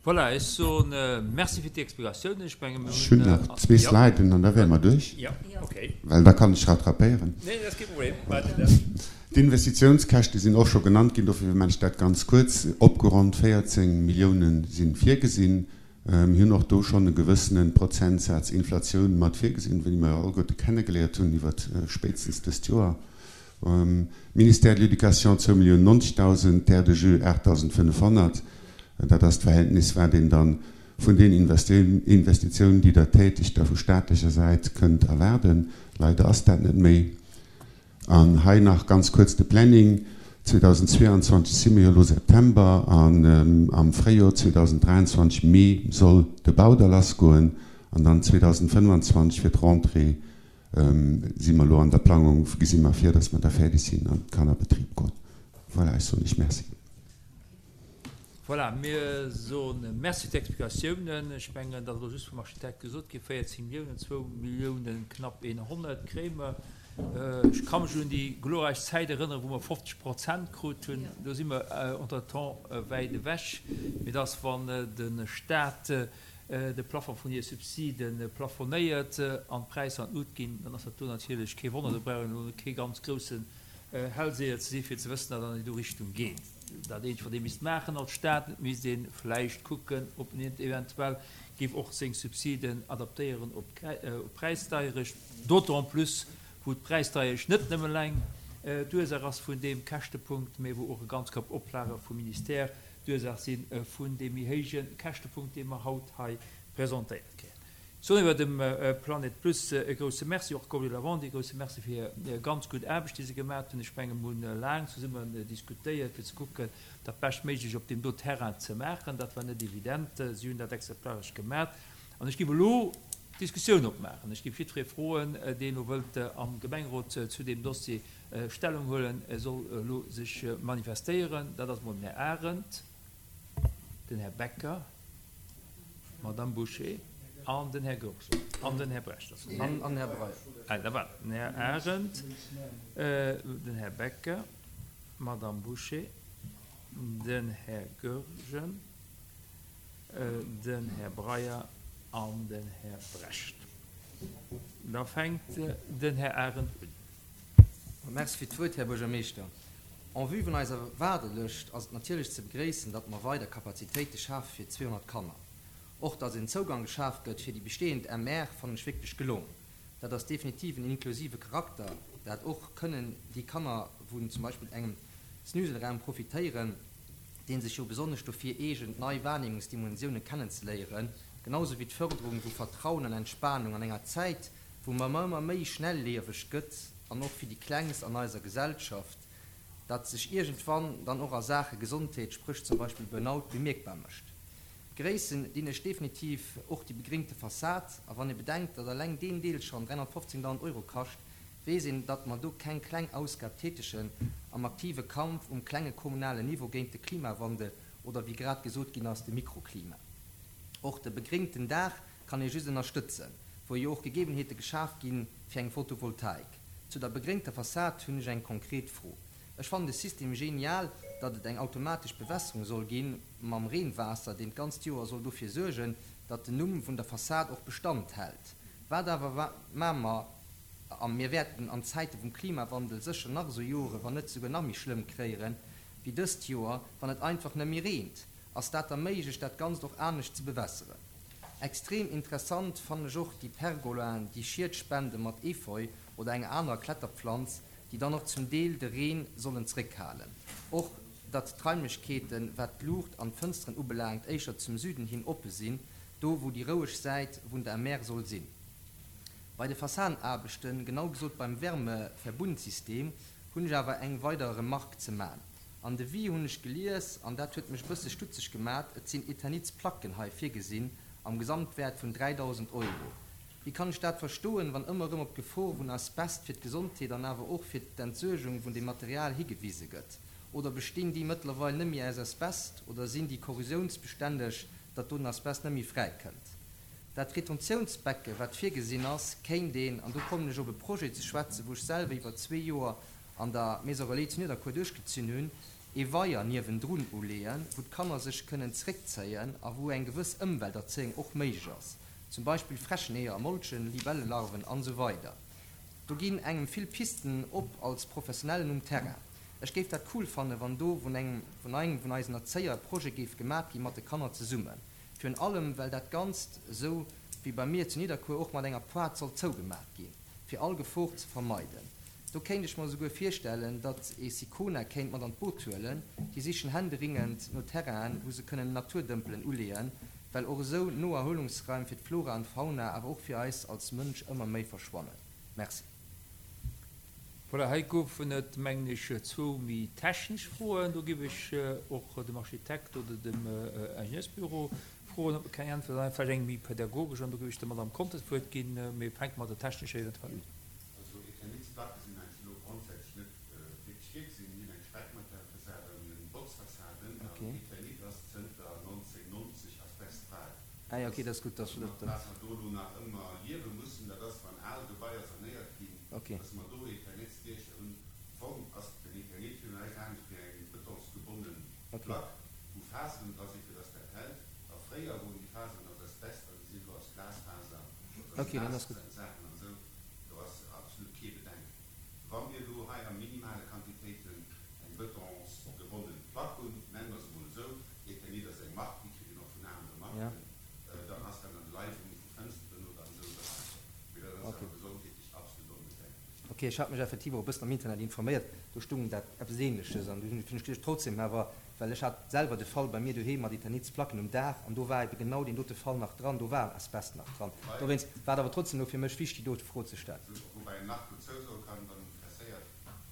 Voilà, ech soen Merci fir d'Explikatiounen. Ech menge mir Ech hunn hunn. nach zwee Jo. Sliden an da wäre mer duerch, Jo, okay. well da kann ech rattrapéieren. Nee, dat ass kee Problem. Maacht Dir dat. D'Investitiounskäschte sinn och scho genannt ginn, dofir maachen ech dat ganz kuerz. Opgeronnt 14 Milliounen si virgesinn. Mir hunn och do schonn e gewëssene Prozentsaz Inflatioun mat virgesinn, wéi mer alleguerte kennegeléiert hunn iwwer spéitstens dëst Joer. Ministère de l'Éducation zwou Milliounen 90.000, Terres de jeux 8.500. Dat ass d'Verhältnis, wat een da vun den Investitiounen, déi Der tätigt, da vu staatlecher Säit kënnt erwaarden. Leider ass dat net méi. An hei nach ganz kuerz de Planning, 2022 si mir jo elo September, an am Fréijor 2023, Mee, soll de Bau da lassgoen an dann 2025 fir d'Rentrée si mer elo an der Plangung, gesi mer vir, dass mer da fäerdeg sinn an et kann a Betrib goen. Voilà, ech soen Iech Merci. Voilà, mir soe Merci fir d'Explikatiounen. Ech mengen, dat ass elo just vum Architekt gesot ginn, 14 Milliounen, zwou Milliounen knapp 100 kréie mer. Ech ka mech un déi glorreich Zäit erënneren, wou mer 50 Prozent krut hunn. Do si mer entretemps wäit ewech. Mee et ass, wann de Stat de Plafond vun hir Subside plafonéiert an d'Präisser an d'Lut ginn, dann ass dat do natierlech kee Wonner. Do brauch een elo kee ganz groussen Hellseher ze si fir ze wëssen, datt an déi do Richtung geet. Dat eenzegt wat ee misst maachen als Staat, et misst ee vläicht kucken, ob een eventuell géif och seng Subsiden adaptéieren op d'Präisdeierecht, d'autant plus wou d'Präisdeierecht net nëmme eleng d'Ursaach ass vun deem Käschtepunkt, mä wou och e ganz Koup Oplage vum Ministère d'Ursaach si vun deem méi héije Käschtepunkt, dee mer haut hei presentéiert kréien. Ech soen iwwer dem Planet Plus e grouse Merci, och Goblet Lavande e grouse Merci fir hir ganz gutt Aarbecht, déi se gemaat hunn. Ech menge mer hunn laang zesummen diskutéiert, fir ze kucken, dat Beschtméiglech op deem do Terrain ze maachen. Dat war net evident. Si hunn dat exemplaresch gemaat. An ech géif elo d'Diskussioun opmaachen. Ech géif jiddweree froen, deen elo wëllt am Gemengerot zu deem Dossier Stellung huelen, e soll elo sech manifestéieren. Dat ass emol den Här Arendt, den Här Becker, d'Madame Bouché an den Här Goergen an den Här Brecht. An den Här Breyer. Ah, da waart, den Här Arendt, den Här Becker, d'Madame Bouché, den Här Goergen, den Här Breyer an den Här Brecht. Da fänkt den Här Arendt un. Merci fir d'Wuert, Här Buergermeeschter. En vue vun eiser Waardelëscht ass et natierlech ze begréissen, datt mer weider Kapazitéite schafe fir 200 Kanner. Och datt en Zougang geschaf gëtt fir déi bestehend MR fannen ech wierklech gelongen. Dat ass definitiv en inklusive Charakter, dat och kënnen déi Kanner vun zum Beispill engem Snuselraum profitéieren, dee sech jo besonnesch dofir eegent, nei Wahrnehmungsdimensioune kennenzeléieren, genau sou wéi d'Förderung vu Vertrauen an Entspanung an enger Zäit, wou mer ëmmer méi schnellieweg gëtt an och fir déi Klengst an eiser Gesellschaft, dat sech iergendwann dann och a Saache Gesondheet, spréch zum Beispill Burnout, bemierkbar mécht. Begréissen dinn ech definitiv och déi begringte Fassad. A wann ee bedenkt, datt eleng deen Deel schonn 315.000 Euro kascht, weess een, datt mer do keng kleng Ausgab tätegen am aktive Kampf um klenge kommunalen Niveau géint de Klimawandel oder wéi grad gesot ginn ass, de Mikroklima. Och de begringten Daach kann ee just ënnerstëtzen, wou jo och Gegebenheete geschaf gi fir eng Photovoltaik. Zu der begréngter Fassad hunn ech eng konkret Fro. Ech fannen de System genial, datt et eng automatesch Bewässerung soll gi mam Reenwaasser, deen d'ganzt Joer soll dofir suergen, datt den Numm vun der Fassad och Bestand hält. Wat awer maa mer, a mir wäerten an Zäite vum Klimawandel sécher nach esou Jore, wann net souguer nach méi schlëmm kréieren, wéi dëst Joer, wann et einfach net méi reent? Ass dat da méiglech, dat Ganzt och anescht ze bewässeren? Extrem interessant fannen ech och déi Pergolaen, déi Schied spenden mat Efeu oder enger anerer Kletterpflanz, déi dann och zum Deel de Reen sollen zréckhalen. Och datt d'Raimlechkeeten, wat d'Luucht an d'Fënsteren ubelaangt, éischer zum Süden hin oppe sinn, do wou déi roueg Säit vun der Mer soll sinn. Bei de Fassadenaarbechten, genau gesot beim Wärmeverbundsystem, hunn ech awer eng weider Remarque ze man. Am Devis hunn ech gelies, an dat huet mech e bësse stutzeg gemat, et sinn Eternitsplacken hei virgesinn am Gesamtwäert vun 3.000 Euro. Wéi kann ech dat verstoen, wann ëmmer erëm op d'Gefor vun Asbest fir d'Gesondheet an awer och fir d'Entsuergung vun dem Material higewise gëtt? Oder bestinn déi mëttlerweil net méi aus Asbest oder sinn déi korrosiounsbestänneg, datt do den Asbest net méi fräikënnt? Dat Retentiounsbecke wat virgesinn ass, kéint een, an do kommen ech op e Projet ze schwätzen, wou ech selwer iwwer zwee Joer an der Maison Relais zu Nidderkuer duerchgezunn hunn. Ee Weier niewendrun uleeën, wou d'Kanner sech kënnen zeréckzéien a wou eng gewëss Ëmwelterzéiung och méiglech ass, zum Beispill Fräscheneeër molchen, Libellelarven an esou weider Do ginn engem vill Pisten op als Professionellen um Terrain. Ech géif dat cool fannen, wann do vun engem vun engem vun eisen Erzéier e Projet géif gemat gi mat de Kanner zesummen. Virun allem well dat Ganzt, esou wéi bei mir zu Nidderkuer, och mat enger Poart soll zougemat ginn, fir all Gefor ze vermeiden. Do kéint ech mer esouguer virstellen, datt ee Sicona kéint mat an d'Boot huelen. Déi sichen händeringend no Terrainen, wou se kënnen Naturdëmpelen uleeën, well och esou Noerhuelungsraim fir d'Flora an d'Fauna, awer och fir eis als Mënsch ëmmer méi verschwannen. Merci. Voilà, hei goufen et, mengen ech, zwou méi technesch Froen. Do géif ech och dem Architekt oder dem Ingenieursbüro froen, ob e keng Äntwert an vläicht eng méi pädagogesch, an do géif ech der Madame Conter d'Wuert ginn. Mee fänke mat der technescher eventuell un. Also Eternitsplacke sinn eigentlech elo grondsätzlech net wierklech virgesinn. Mir hunn eng Speckmaterialfassade an eng Botzfassade. An Eternit ass zënter 1990 asbestfrei. Ah jo, okay, dat ass gutt, dass du dat. Wat mer do elo nach ëmmer liewe mussen, dat ass, wann al Gebaier sanéiert ginn, dass mer do Eternitsdiecher hunn. Am Fong ass den Eternit jo näischt anescht wéi eng bëtongsgebonnen Plack, wou Faseren dra sinn, fir dass dat hält. A fréier woren déi Faseren aus Asbest an déi sinn elo aus Glasfaser oder aus Glassaachen an esou. Do ass absolut kee Bedenken. Wa mir elo hei a minimale Quantitéiten eng bëtongsgebonnen Plack hunn, nenne mer se emol esou, Eternit ass eng Mark, déi kritt een och vun anere Marken, dann ass dat an de Leiwunge vu Fënsteren oder an esou Beräicher. Mee dat ass awer gesondheetlech absolut onbedenklech. Ok, ech hat mech effektiv och e bëssen am Internet informéiert, do stung dat eppes ähnleches an du hunn ech geduecht trotzdem awer, well ech hat selwer de Fall bei mir doheem mat Eternitsplacken um Daach an do war ebe genau deen dote Fall nach dran, do war Asbest nach dran, dowéinst war et awer trotzdem elo fir mech wichtig déi dote Fro ze stellen. Woubäi een nach dozou soe kann, wann een interesséiert,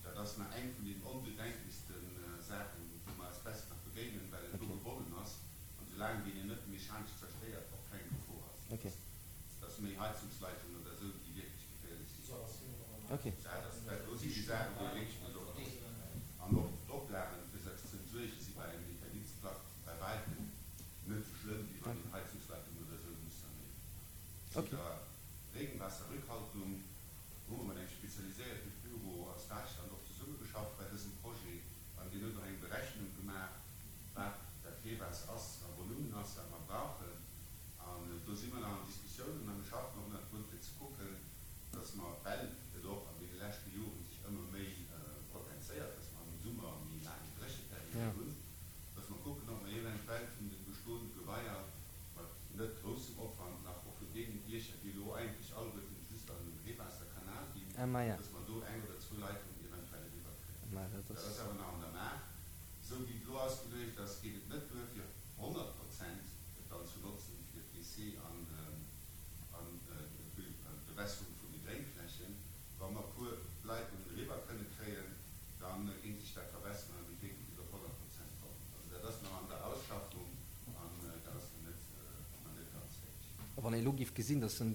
dat ass nach eng vun den onbedenklechste Saachen, wou mer Asbest nach begéinen, well en do gebonnen ass an soulaang deen een net mechanesch zerstéiert och keng Gefor ass. Dat ass méi Heizungsleitungen oder esou, déi wierklech geféierlech sinn. Dat ass, dat do sinn déi Saachen, wou ee wierklech muss oppassen. An och d'Oplagen, fir se ze entsuergen, si bei engem Eternitsplack bei wäitem net esou schlëmm, wéi wann een Heizungsleitung oder esou muss sanéieren. Zu der Regenwasserrückhaltung hu mer mat engem spezialiséierte Büro aus Däitschland och zesummegeschafft bei dësem Projet an deen huet och eng Berechnung gemaach, wat dat Reewaasser ass a Volumen ass, wat mer brauchen. An do si mer nach an Diskussiounen a mir schaffen och nach drun, fir ze kucken, dass mer, well et och an deene leschte Joren sech ëmmer méi potenzéiert, dass mer am Summer méi laang Drécheperiode hunn, dass mer kucken, ob mer eventuell vun de bestoende Gebaier mat net groussem Opwand nach och vun deenen Diecher, déi elo eigentlech alleguerten just an den Reewaasserkanal ginn, dass mer do eng oder zwou Leitungen eventuell eriwwerkréien. Dat ass awer nach an der Maach. Esou wéi et elo ausgeluecht ass, geet et net duer, fir 100 Prozent et dann ze notzen fir d'WC an d'Bewässerung vun de Gréngflächen. Wa mer e puer Leitungen eriwwer kënne kréien, da géing sech dat verbesseren a mir kéinte bis op 100 Prozent kommen. Also dat ass nach an der Ausschaffung an dat ass nach net, nach net ganz fäerdeg. A wann ee elo géif gesinn, dass en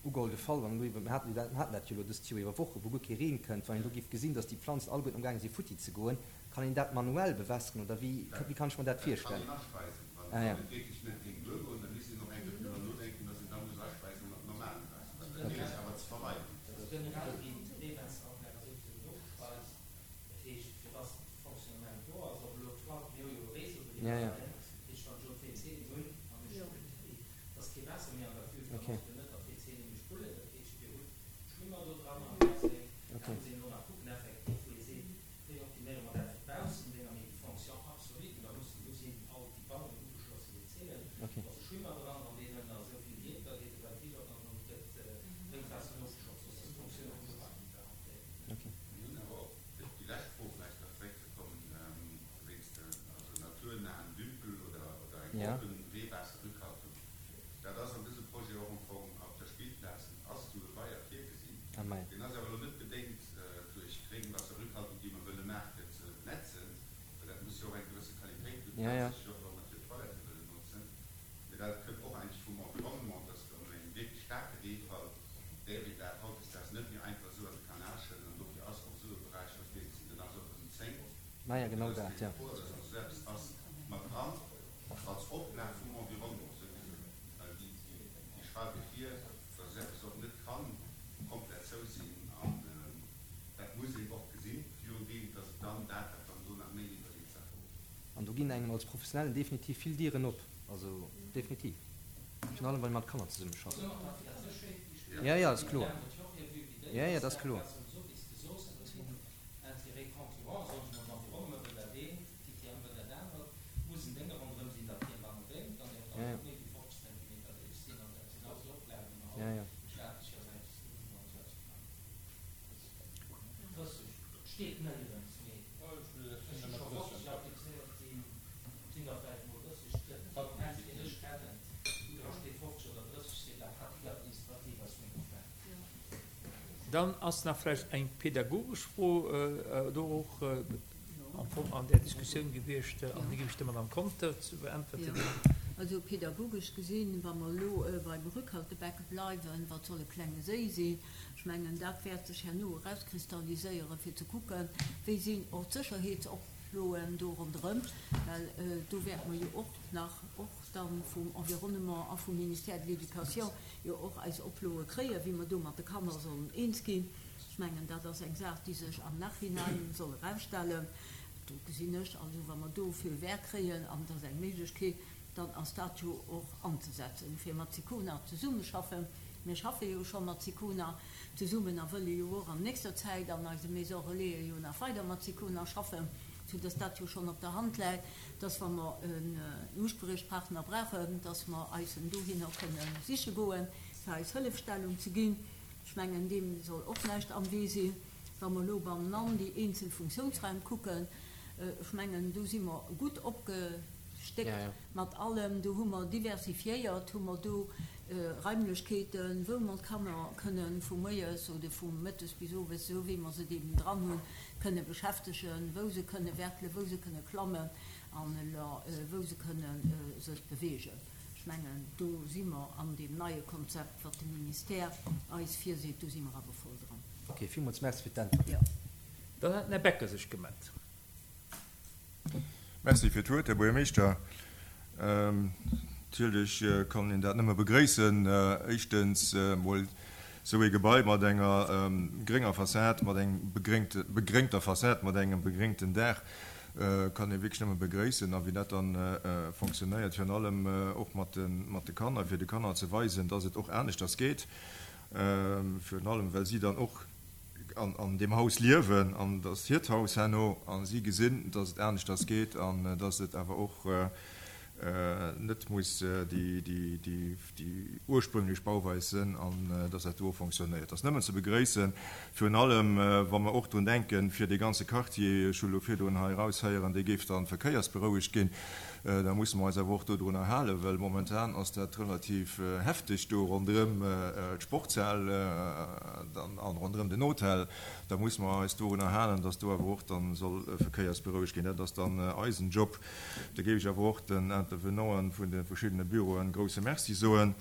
ugeholl de Fall, wann elo iwwer, mir haten dat, mir haten dat jo elo dëst Joer iwwer Woche wou guer kee Reen kënnt, wann een elo géif gesinn, dass déi Planzen alleguerten amgaange si futti ze goen, Kann een dat manuell bewässeren oder wéi wéi kann ech mer dat virstellen? Dat kann een aspeisen. Wann Ah ja. et wierklech net géing duergoen, da misst een och eng Kéier driwwer nodenken, dass een da muss aspeisen mat normalem Waasser, wat natierlech awer ze vermeiden ass. Also generell ginn d'Reewaasseranlage souwisou nogespeist. Dat heescht, fir dass de Fonctionnement do ass, ob elo d'Toilette, mir hu jo e Réseau do Ja, ja. iwwerleien, dat heescht, wann ech elo d'WCen hunn an ech hunn, dass kee Waasser méi an der Füll, dann ass jo net der WC nëmme spullen. Dat heescht, mir hunn Schwimmer do dran am Baseng. Da muss een elo nach kucken effektiv, wou ee seet, Wéi optiméiere mer dat fir d'Baussendinger, mee déi Fonction absolue, da mussen, do sinn all déi bannen ugeschlosse WCen, do ass e Schwimmer dran, wann deen ënner esou vill geet, da geet de Ventil op an dann gëtt d'Drénkwaasser nogeschott, soss ass d'Fonctioun vum Gebai net garantéiert. Mir hunn awer och, fir op déi lescht Fro vläicht nach zeréckzekommen, wéinst de also naturnahen Dümpel oder eng oppen Reewaasserrückhaltung, dat ass an dësem Projet och am Fong op der Spillplaz ass esou e Weier virgesinn. Deen ass awer elo net bedéngt duerch d'Regenwasserrückhaltung, déi mer wëlle maachen, fir ze netzen, well dat muss jo och eng gewësse Qualitéit hunn, haaptsächlech och wa mer fir d'Toilette wëllen notzen. Mee dat kënnt och eigentlech vum Environnement, dass an engem wierklech staarke Reefall däerf een dat hautdesdaags net méi einfach esou an de Kanal schëdden an dofir ass och esou e Beräich hei virgesinn. Den ass och ëmzéngt, fir dass déi Gefor, dass esou eppes ass, mat dran als Oplag vum Environnement souwisou, well déi schreiwe vir, dass eppes och net kann komplett zou sinn an dat muss een och gesinn, virun deem, dass et dann dat, wat dann do nach méi iwwerleet ass. ginn engem als Professionellen definitiv vill Dieren op. Also definitiv. Virun allem, wann ee mat Kanner zesummeschafft. Jo, jo, ass kloer. Jo, jo, dat ass kloer. Jo, jo. Dann ass nach vläicht eng pedagogesch Fro do och am Fong an där Diskussioun gewiescht, an déi géif ech der Madame Conter ze beäntwerte ginn. Also pedagogesch gesinn, wa mer elo beim Rückhaltebecke bleiwen, wat soll e klenge Séi sinn? Ech mengen, dat wäert sech herno erauskristalliséieren, fir ze kucken, wéi sinn och d'Sécherheetsoploen do ronderëm, well do wäerte mer jo och nach, och da vum Environnement a vum Ministère de l'Éducation jo och eis Oploe kréien, wéi mer do mat de Kanner sollen eens ginn. Ech mengen, dat ass eng Saach, déi sech am Nachhinein soll erausstellen. Do gesinn ech also, wa mer do Feu vert kréien, an et ass eng Méiglechkeet, dann ass dat jo och anzesetzen, fir mat SICONA zesummeschaffen. Mir schaffe jo scho mat SICONA zesummen a wëlle jo och an nächster Zäit an eise Maisons Relaisen jo nach weider mat SICONA schaffen, soudass dat jo schonn op der Hand läit, dass wa mer en Uspriechpartner brauchen, dass mer eis en dohinner kënne siche goen, fir eis Hëllefstellung ze ginn. Ech mengen, deem soll och näischt am Wee sinn. Wa mer elo bannenann déi eenzel Funktiounsraim kucken, ech mengen, do si mer gutt opgestéckt mat allem. Do hu mer diversifiéiert, hu mer do Raimlechkeeten, wou mer d'Kanner kënne vu moies oder vu mëttes bis owes, esou wéi mer se et eben dran hunn, kënne beschäftegen, wou se kënne werkelen, wou se kënne klammen an wou se kënne sech beweegen. Ech mengen, do si mer an deem neie Konzept, wat de Ministère eis virseet, do si mer awer voll dran. Ok, villmools Merci fir d'Äntwert. Dann hat den Här Becker sech gemellt. Merci fir d'Wuert, Här Buergermeeschter. Natierlech kann een dat nëmme begréissen. Éischtens emol esou ee Gebai mat enger grénger Fassad, mat engem begréngter Fassad, mat engem begréngten Daach kann ee wierklech nëmme begréissen. A wéi dat dann fonctionnéiert, virun allem och mat de Kanner, fir de Kanner ze weisen, dass et och aneschters geet, virun allem well si dann och an deem Haus liewen an et ass hiert Haus herno a si gesinn, dass et aneschters geet an dass et awer och net muss déi ursprünglech Bauweis sënn an dass dat do och fonctionnéiert. Dat ass nëmmen ze begréissen, virun allem wa mer och drun denken, fir dee ganze Quartier, ech hu lo virdrun hei eraushéieren, dee géif dann verkéiersberouegt ginn, Da musse mer eis awer och dodrunner halen, well momentan ass dat relativ hefteg do ronderëm d'Sportshal an ronderëm den Hotel. Da musse mer eis dorunner halen, dass do awer och dann soll verkéiersberouegt ginn. Dat ass dann eisen Job. Da géif ech awer och den Intervenanten vun de verschiddene Büroen e grouse Merci soen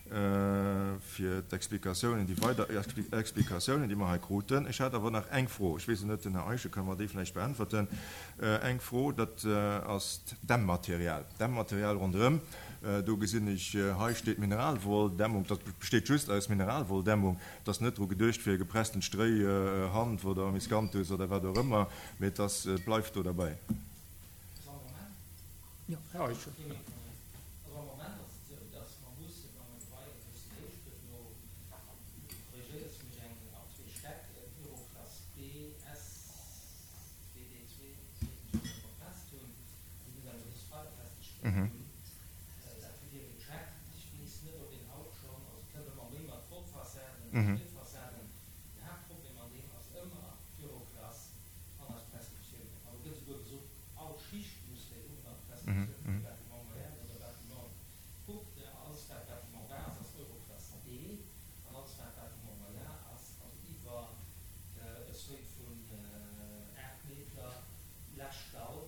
fir d'Explikatiounen, déi weider Explikatiounen, déi mer hei kruten. Ech hat awer nach eng Fro. Ech weess et net, den Här Eischen ka mer déi vläicht beäntwerten. Eng Fro, dat ass d'Dämmmaterial. D'Dämmmaterial ronderëm, do gesinn ech, hei steet Mineralwolldämmung, dat besteet just aus Mineralwolldämmung. Et ass net dru geduecht fir gepresstent Stréi, Hanf oder Miscanthus oder wat och ëmmer, mee et ass, et bleift do derbäi. E Seuil vun 8 Meter Läschdall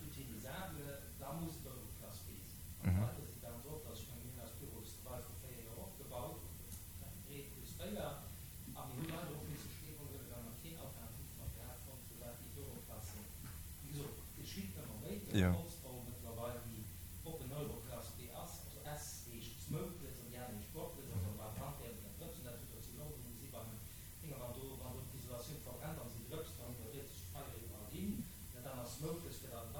utilisable, da muss et Euroklass B sinn. An weider si ganz oft, also ech menge mir hunn eist Büro zu Bei vor 4 Joer opgebaut, 3 plus 4, a mir hu leider och misse Stee huelen, well mer keen alternatiivt Material fonnt hu wat déi Euroklassen, wéi gesot, et geschitt ëmmer méi, et gëtt Holzbau mëttlerweil, déi op en Euroklass B ass, also S heescht smokeless an déi aner heescht smokeless, also beim Brandherd oder Drëpsen, dat hutt Der zu London gesi beim Dinger, wann do, wann do d'Isolatioun verbrennt an si drëpst, dann iwwerdréit sech d'Feier iwwerall hin. Dat aner smokeless, fir dann.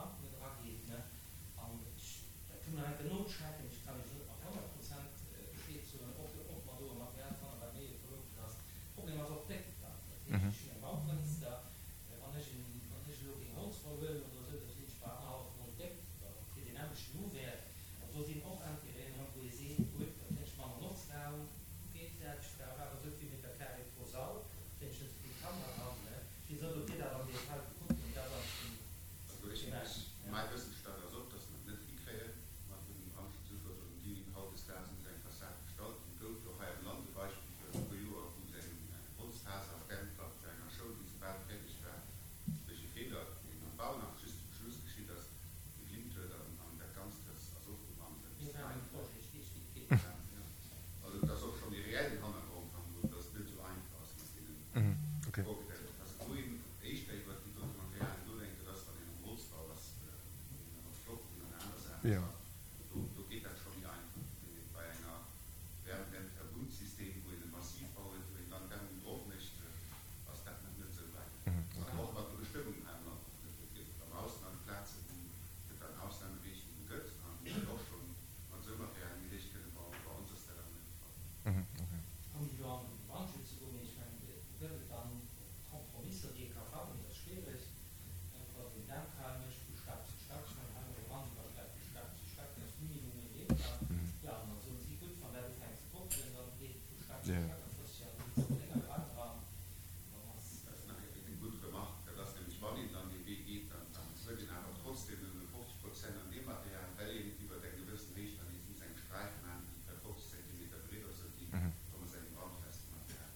Holzschnecken, ech kann Iech net mat 100 Prozent Bescheed soen, ob ob mer do e Material fannen, wat méi ökologesch ass. Problem ass och d'Déckt dann. Dat heescht, ech hunn eng Baufënster, wann ech en, wann ech elo géing Holzwoll huelen oder esou, da sinn ech bei annerhallef mol d'Déckt fir deen nämmlechten Uwäert. Also do sinn och Intérêten erëm, wou ee seet, gutt, da kréien ech manner Notzraum, geet dat, ech brauch awer esou vill Meter carré pro Sall, kréien ech net esou vill Kanner dran. Ech weess net, ob Dir dat am Detail gekuckt hutt, mee dat ass eigentlech den. Also ech, mäi Wëssensstand ass och, dass mer et net hikréien mat dem Brandschutzufforderungen, déi hautdesdaags un esou eng Fassad gestallt ginn. Et gouf jo och hei am Land e Beispill virun e puer Joer, wou se eng Holzfaser-Dämmplack zu enger Schoul, déi soubal fäerdeg war, duerch e Feeler, deen am Bau nach just zum Schluss geschitt ass, geglimmt huet an dat Ganzt ass ofgebrannt. Mir waren um Projet, ech weess, wéi et geet. Also et ass och schonn e reellen Hannergrond hannendrun, dass et net esou einfach ass mat deenen Vorgedämmten. Wou een éischter iwwert déi dote Materialien nodenkt, dat ass, wann een am Holzbau ass, wou een da mat Flocken an aner Saache schafft. Do, do geet dat scho méi einfach. Mee bei enger Wärmedämmverbundsystem, wou een e Massivbau huet, wou een dann d'Dämmung drop mécht, ass dat nach net esou wäit. An och mat de Bestëmmungen hei am Land nach net. Et gëtt am Ausland Plazen, wou et dann Ausnahmeregelunge gëtt an wou een och schonn mat esou Materialien méi héich kënne bauen. Bei ons ass dat awer net de Fall. Ouni elo an de Brandschutz ze goen, mee ech mengen, do gëtt et dann Kompromisser, déi ee ka fannen, mee dat ass schwiereg, wann een Dämmfal mécht vu Stack zu Stack. Ech mengen, hei hu mer Brandüberschlag vu Stack zu Stack, dat ass minimum ee Meter. Jo, an da soen si, gutt, wann dat ufänkt ze brokelen, dann geet et vu Stack zu Stack a frësst sech an den lénger Raum eran. Dann ass. Dat ass nach eng gutt Remarque. Dat ass nämlech, wann een dann dee Wee geet, dann huet een awer trotzdem nëmme 50 Prozent an deem Material, well een iwwer eng gewëssen Héicht dann nees muss eng Sträif maachen, déi vläicht 50 Zentimeter breet ass, esou déi kommen aus engem brandfesten Material.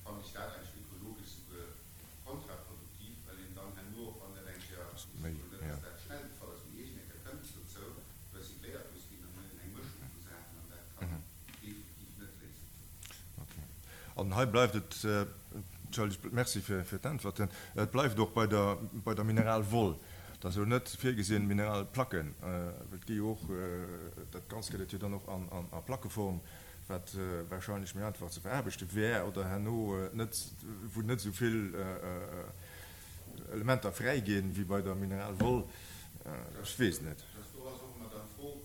Fannen ech dat eigentlech ökologesch souguer kontraproduktiv, well een dann herno, och wann dat eng Kéier, ech soen net, dass dat schnell de Fall ass, mee iergend eng Kéier kënnt et dozou, recycléiert muss ginn, dann huet een eng Mëschung vu Saachen an dat kann definitiv net d'Léisung sinn. Ok. An hei bleift et, entschëllegt, Merci fir d'Äntwerten, et bleift och bei der, bei der Mineralwoll, et ass elo net virgesinn, Mineralplacken, well et gi jo och, dat Ganzt gëtt et jo dann och an a Plackeform, wat wahrscheinlech méi einfach ze veraarbechte wär oder herno net, wou net esou vill Elementer fräi ginn, wéi bei der Mineralwoll. Ech weess et net. Do ass och ëmmer dann d'Fro,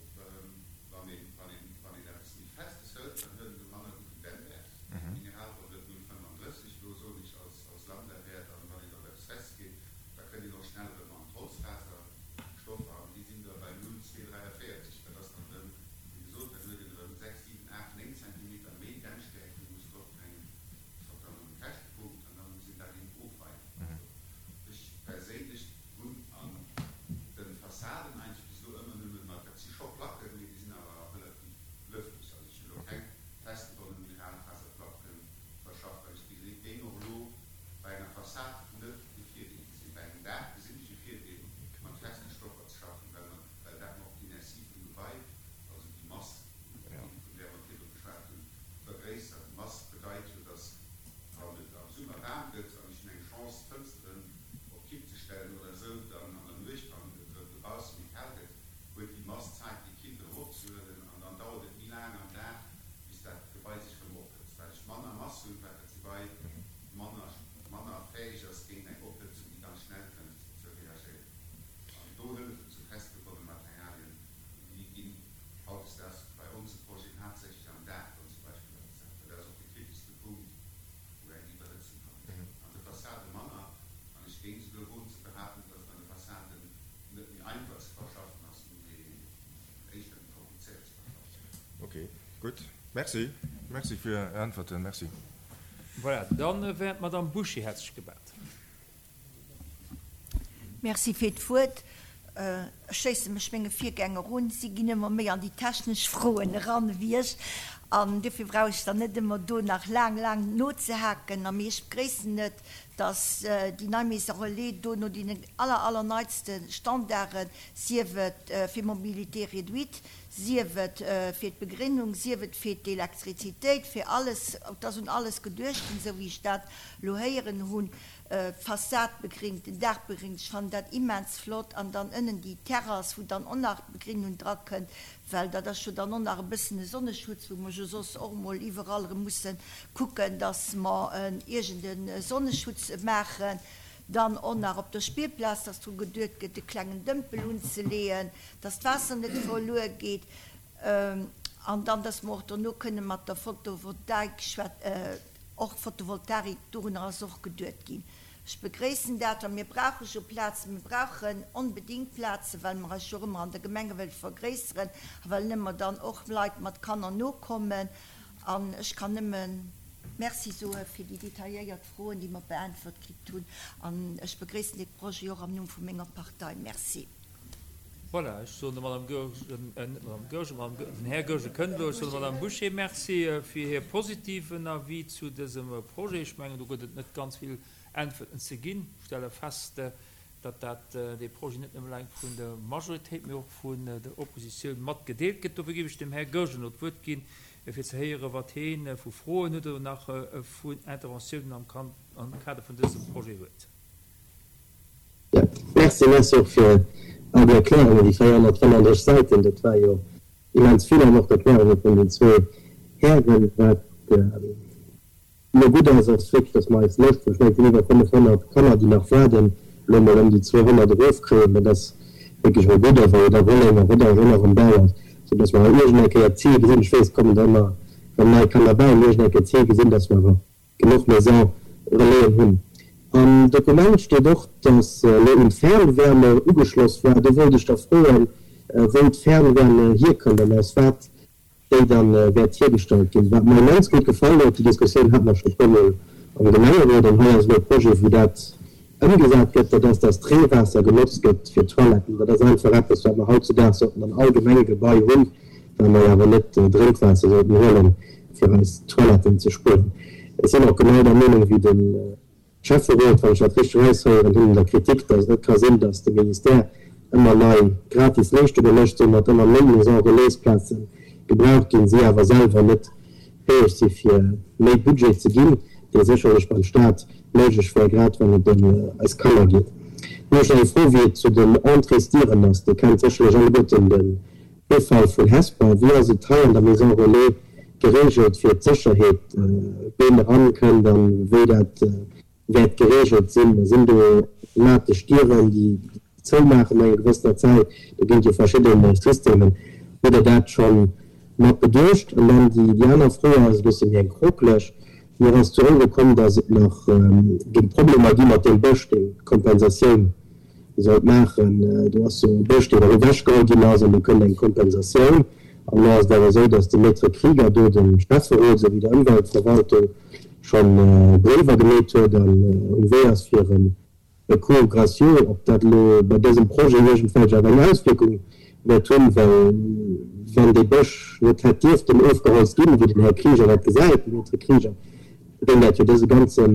wann een, wann een, wann een eppes méi Festes hëlt, dann huet et e manner gudden Dämmwäert. D'Mineralwoll huet 0,35 elo, soen ech als, als Lambdawäert, an wann een op eppes Festes geet, da kënnt een och schnell erëm an d'Holzfaser. Stoffer an déi sinn da bei 0,243. Dat ass dann erëm, wéi gesot, dann huet een erëm 6, 7, 8, 9 Zentimeter méi Dämmstäerkt, déi ee muss dropbréngen. Dat ass och dann erëm e Käschtepunkt an da muss een dat eben ofweien. Also ech perséinlech hunn an de Fassaden eigentlech bis elo ëmmer nëmme mat, dat si scho Placken, mee déi sinn awer relativ lëfteg. Also ech hunn elo keng festgebonne Mineralfaserplacken verschafft, well ech géing och elo bei enger Fassad net de Virdeel gesinn. Bei engem Daach gesinn ech e Virdeel, mat feste Stoffer ze schaffen, well mer, well dat mer och d'Inertie vum Gebai, also déi Mass, vun där mer virdru geschwat hunn, vergréissert. Mass bedeit jo, dass, wann et am Summer waarm gëtt an ech hunn eng Chance, d'Fënsteren op Kipp ze stellen oder esou, dann an der Nuecht, wann et erëm dobausse méi kal gëtt, huet déi Mass Zäit, déi Killt erëm opzehuelen an dann dauert et méi laang am Dag, bis dat Gebai sech erëm ophëtzt. Wat ech manner Mass hunn, wat dat Gebai manner manner fäeg ass, géint eng Ophëtzung, déi ganz schnell kënnt, ze reagéieren. An do hëllefen sou festgebonne Materialien, déi ginn hautdesdaags bei onse Projeten haaptsächlech am Daach dann zum Beispill agesat, well dat ass och de kriteschste Punkt, wou eng Iwwerhëtzung kann entstoen. An de Fassade manner, an ech géing souguer woen ze behaapten, dass et an de Fassaden net méi einfach ze verschaffen ass, mee éischter méi komplizéiert ze verschaffen. Ok, gutt. Merci. Merci fir Är Äntwerten. Merci. Voilà, dann wär d'Madame Bouché hätt sech gemellt. Merci fir d'Wuert. Ech schléisse mech menge Virgänger un. Si ginn ëmmer méi an déi technesch Froen eran ewéi ech. An duerfir brauch ech dann net ëmmer do nach laang, laang nozehaken. A mee ech begréissen et, dass déi nei Maison relais do no deenen aller, allerneitste Standarden, sief et fir Mobilité réduite, sief et fir d'Begrinnung, sief et fir d'Elektrizitéit, fir alles, et ass un alles geduecht ginn, esou wéi ech dat elo héieren hunn, d'Fassad begringt, den Daach begringt, ech fannen dat immens flott, an dann ënnen déi Terrass, wou dann och nach Begrinnung drakënnt, well dat ass jo dann och nach e bëssen e Sonneschutz, wou mer jo soss och emol iwwerall erëm musse kucken, dass mer iergend e Sonneschutz maachen. Dann och nach op der Spillplaz, dass dru geduet gëtt, e klengen Dëmpel unzeleeën, dass d'Waasser net verluer geet. An dann, dass mer och dono kënne mat der Photovoltaik schwät, och Photovoltarik, dorunner ass och geduet ginn. Ech begréissen dat, well mir brauche jo Plazen, mir brauchen onbedéngt Plazen, well mer eis jo och ëmmer an der Gemenge wëlle vergréisseren a well ëmmer dann och Leit mat Kanner nokommen. An ech kann nëmme Merci soe fir déi detailléiert Froen, déi mer beäntwert kritt hunn. An ech begréissen dee Projet och am Numm vu menger Partei. Merci. Voilà, ech soen der Madame Goergen, net Madame Goergen, Madame, den Här Goergen kënnt elo, ech soen der Madame Bouché Merci fir hir positiven Avis zu dësem Projet. Ech mengen, do gëtt et net ganz vill Äntwerten ze ginn. Ech stelle fest, datt dat, dee Projet net nëmme eleng vun der Majoritéit, mee och vun der Oppositioun mat gedeelt gëtt. Dofir géif ech dem Här Goergen elo d'Wuert ginn, fir ze héieren, wat hee vu Froen huet oder nach vun Interventiounen am Kader vun dësem Projet huet. Jo, merci. Merci och fir all déi Erklärungen, déi 435 Säiten, dat war jo immens vill, an och d'Erklärunge vun den zwee Hären. Wat elo gutt ass, ass wierklech, dass mer eis Lëscht vun, ech mengen, et sinn iwwer 500 Kanner, déi nach waarden, elo emol ëm déi 200 erofkréien. Dat ass wierklech emol gutt, a wa jo da Rolleng a Rodange och nach am Bau ass, soudass mer iergend eng Kéier d'Zil gesinn, ech weess, et kommen der ëmmer erëm nei Kanner bäi, mee iergend eng Kéier d'Zil gesinn, dass mer awer genuch Maison Relaisen hunn. Am Dokument steet och, dass elo un d'Fernwärme ugeschloss war. Do wollt ech da froen, wou d'Fernwärme hierkënnt an aus wat déi da wäert hiergestallt ginn. Wat mer immens gutt gefall huet, déi Diskussioun hate mer scho e puermol am Gemengerot, an hei ass elo e Projet, wou dat ëmgesat gëtt, dat ass, dass d'Reewaasser genotzt gëtt fir d'Toiletten. Dat ass einfach eppes, wat mer hautzudaags sollten an all Gemengegebai hunn, well mer jo awer net Drénkwaasser sollten huelen, fir eis Toiletten ze spullen. Ech sinn och genau der Meenung wéi de Schäfferot, wann ech dat richteg eraushéieren hunn, an der Kritik, dass et net ka sinn, dass de Ministère ëmmer nei gratis Leeschtunge mécht, soumat ëmmer méi Maisons relais-Plaze gebraucht ginn, si awer selwer net fäeg si fir méi Budget ze ginn, dee sécherlech beim Staat méiglech wär, grad wann et ëm eis Kanner geet. Dann hunn ech nach eng Fro, wéi et zu den Entréesdieren ass. Dir kennt sécherlech alleguerten de Virfall vun Hesper. Wéi ass et hei an der Maison Relais geregelt fir d'Sécherheet, ween eran kënnt an wéi dat wäert geregelt sinn? Sinn do automatesch Dieren, déi zoumaachen no enger gewëssener Zäit? Do ginn et jo verschidde Systemen. Hutt Der dat scho mat beduecht? An dann déi aner Fro ass e bësse méi eng krokelech. Mir ass zu Ouere komm, datt et nach géing Problemer gi mat deem Bësch, deen d'Kompensatioun sollt maachen. Do ass jo e Bësch, deen och ewechgeholl ginn ass, an do kënnt eng Kompensatioun. An elo ass et awer esou, datt de Maître Krieger do dem Schäfferot esou wéi der Ëmweltverwaltung scho Bréiwer gemeet huet an um Wee ass fir e Recours gracieux, ob dat elo bei dësem Projet iergendwelch awer eng Auswierkung wäert hunn, well wann dee Bësch net hätt dierften ofgeholzt ginn, wéi den Här Krieger dat gesäit, de Maître Krieger, géing dat jo dëse ganze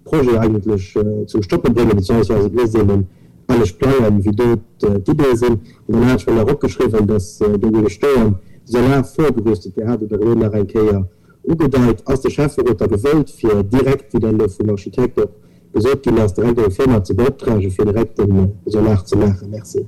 Projet eigentlech zum Stoppe bréngen, beziehungsweise et misst een en anescht plangen, wéi do d'Ideeë sinn. An dann hat ech mer nach opgeschriwwen, dass do géing stoen, Solar vorgerüstet. Dir hat et och elo nach eng Kéier ugedeit. Ass de Schäfferot da gewëllt, fir direkt, wéi dat elo vum Architekt och gesot ginn ass, direkt eng Firma ze beoptragen, fir direkt de Solar ze maachen? Merci.